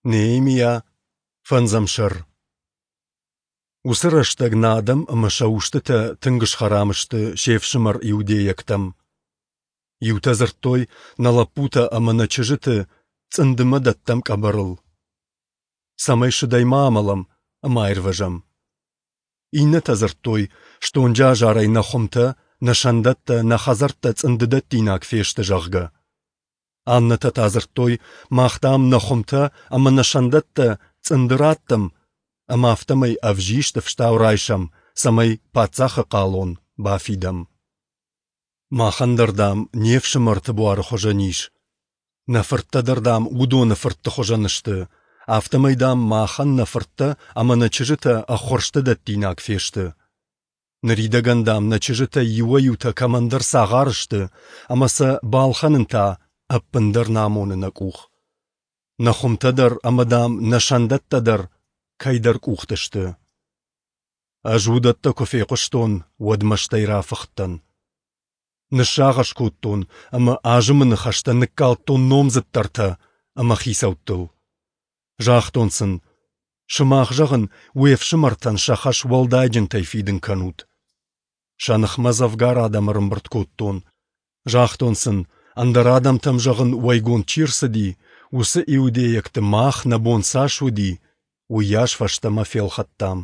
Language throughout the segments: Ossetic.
Неемиа, фӕндзӕм сӕр. Уыцы рӕстӕг нӕ адӕм ӕмӕ сӕ устытӕ тынг схӕрам сты се фсымӕр иудейӕгтӕм. Иутӕ дзырдтой, нӕ лӕппутӕ ӕмӕ нӕ чызджыты цъындымӕ дӕттӕм къӕбӕрыл, цӕмӕй сыдӕй ма амӕлӕм ӕмӕ аирвӕзӕм. Иннӕтӕ дзырдтой, стонджы азарӕй нӕ хуымтӕ, нӕ сӕндӕттӕ, нӕ хӕдзӕрттӕ цъындыдӕттинаг фесты, зӕгъгӕ. Аннӕтӕ та дзырдтой, мах, дам, нӕ хуымтӕ ӕмӕ нӕ сӕндӕттӕ цъынды раттӕм ӕмӕ афтӕмӕй ӕвзист ӕфстау райсӕм, цӕмӕй паддзахы хъалон бафидӕм. Махӕн дӕр, дам, не фсымӕрты буары хуызӕн ис. Нӕ фырттӕ дӕр, дам, уыдоны фыртты хуызӕн сты. Афтӕмӕй, дам, махӕн нӕ фырттӕ ӕмӕ нӕ чызджытӕ ӕххуырсты дӕттинаг фесты. Ныридӕгӕн, дам, нӕ чызджытӕй иуӕй-иутӕ кӕмӕндӕр цагъар сты, ӕмӕ сӕ балхӕнын та ӕппындӕр нӕ амоны нӕ къух. Нӕ хуымтӕ дӕр ӕмӕ, дам, нӕ сӕндӕттӕ дӕр кӕйдӕр къухты сты. Ӕз уыдӕттӕ куы фехъуыстон, уӕд мӕстӕй рафыхтӕн. Ныссагъӕс кодтон ӕмӕ азымы ныхӕстӕ ныккалдтон номдзыддӕртӕ ӕмӕ хицӕуттыл. Загътон сын, сымах, зӕгъын, уе фсымӕртӕн сӕ хӕс уӕлдайджынтӕй фидын кӕнут. Сӕ ныхмӕ дзӕвгар адӕм ӕрӕмбырд кодтон. Загътон сын, ӕндӕр адӕмтӕм, зӕгъын, уӕйгонд чи рцыди, уыцы иудейӕгты мах, нӕ бон цас уыди, уыйас фӕстӕмӕ фелхӕдтам.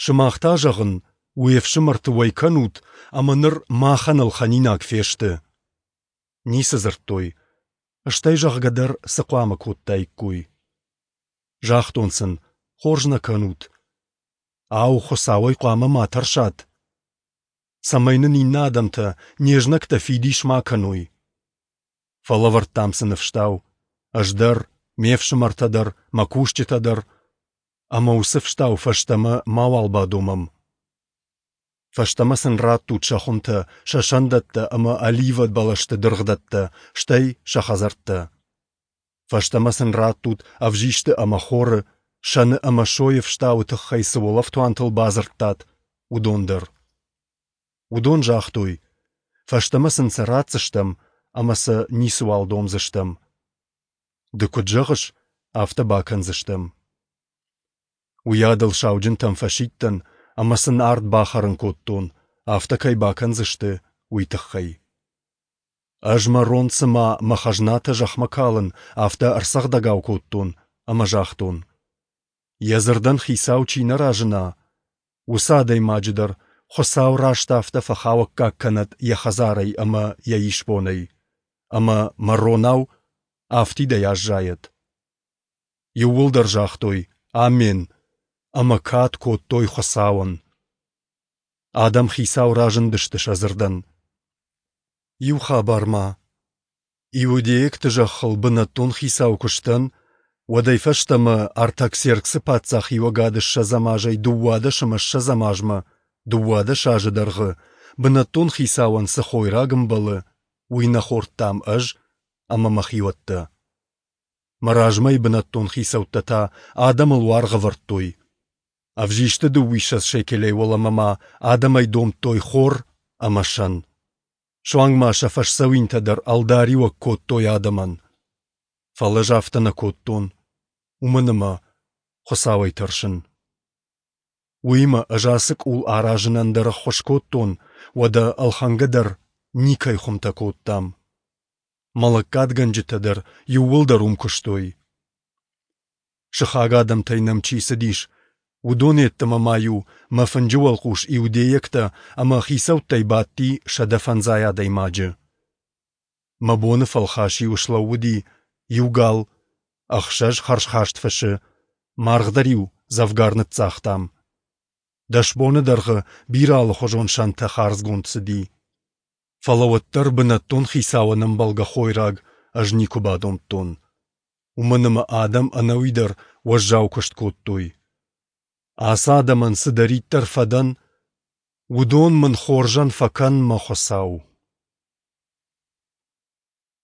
Сымах та, зӕгъын, уе фсымӕрты уӕй кӕнут, ӕмӕ ныр махӕн ӕлхӕнинаг фесты. Ницы дзырдтой, стӕй зӕгъгӕ дӕр цы хъуамӕ кодтаиккой. Загътон сын, хорз нӕ кӕнут. Ау, Хуыцауӕй хъуамӕ ма тӕрсат? Цӕмӕй нын иннӕ адӕмтӕ, не знӕгтӕ фидис ма кӕной. Фӕлӕвӕрдтам сын ӕфстау, ӕз дӕр, ме фсымӕртӕ дӕр, мӕ кусджытӕ дӕр, ӕмӕ уыцы фстау фӕстӕмӕ мауал бадомӕм. Фӕстӕмӕ сын раттут сӕ хуымтӕ, сӕ сӕндӕттӕ ӕмӕ оливӕ бӕлӕсты дыргъдӕттӕ, стӕй сӕ хӕдзӕрттӕ. Фӕстӕмӕ сын раттут ӕвзисты ӕмӕ хоры, сӕны ӕмӕ сойы фстауы тыххӕй цы уӕлӕфтуантыл бадзырдтат, уыдон дӕр. Уыдон загътой, фӕстӕмӕ сын сӕ ратдзыстӕм ӕмӕ сӕ ницыуал домдзыстӕм. Ды куыд зӕгъыс, афтӕ бакӕндзыстӕм. Уыйадыл сауджынтӕм фӕсидтӕн ӕмӕ сын ард бахӕрын кодтон, афтӕ кӕй бакӕндзысты, уый тыххӕй. Ӕз мӕ рон цыма мӕ хӕзнатӕ зӕхмӕ калын, афтӕ ӕрцӕгъдӕгау кодтон ӕмӕ загътон: Йӕ дзырдӕн хицау чи нӕ разына, уыцы адӕймаджы дӕр Хуыцау раст афтӕ фӕхауӕггаг кӕнӕд йӕ хӕдзарӕй ӕмӕ йӕ исбонӕй, ӕмӕ мӕ ронау афтидӕй аззайӕд. Иууылдӕр загътой «Амен» ӕмӕ кад кодтой Хуыцауӕн. Адӕм хицау разындысты сӕ дзырдӕн. Иу хабар ма. Иудейӕгты зӕххыл бынӕттон хицау куы сдӕн, уӕдӕй фӕстӕмӕ Артаксерксы паддзахиуӕгады ссӕдзӕм азӕй 12 ӕмӕ ссӕдзӕм азмӕ, 12 азы дӕргъы, бынӕттон хицауӕн цы хойраг ӕмбӕлы, уый нӕ хордтам ӕз ӕмӕ мӕ хиуӕттӕ. Мӕ размӕйы бынӕттон хицӕуттӕ та адӕмыл уаргъ ӕвӕрдтой. Ӕвзисты дыууиссӕдз шекелӕй уӕлӕмӕ ма адӕмӕй домдтой хор ӕмӕ сӕн. Суанг ма сӕ фӕсдзӕуинтӕ дӕр ӕлдариуӕг кодтой адӕмӕн. Фӕлӕ ӕз афтӕ нӕ кодтон, уымӕн ӕмӕ Хуыцауӕй тӕрсын. Уыимӕ ӕз ацы къул аразынӕн дӕр ӕххуыс кодтон, уӕдӕ ӕлхӕнгӕ дӕр никӕй хуымтӕ кодтам. Мӕ лӕггадгӕнджытӕ дӕр иууылдӕр уым куыстой. Сыхаг адӕмтӕй нӕм чи цыдис, уыдон йеддӕмӕ ма-иу мӕ фынджы уӕлхъус иудейӕгтӕ ӕмӕ хицӕуттӕй бадти 150 адӕймаджы. Мӕ боны фӕлхас-иу слӕууыди иу гал, ӕхсӕз хӕрзхаст фысы, маргъ дӕр-иу дзӕвгар ныццагътам. 10 боны дӕргъы бирӕ алыхуызон сӕнтӕ хардзгонд цыди. Фӕлӕ уӕддӕр бынӕттон хицауӕн ӕмбӕлгӕ хойраг ӕз никуы бадомдтон. Уымӕн ӕмӕ адӕм ӕнӕуи дӕр уӕззау куыст кодтой. Ацы адӕмӕн цыдӕриддӕр фӕдӕн, уыдон мын хорзӕн фӕкӕн, мӕ Хуыцау.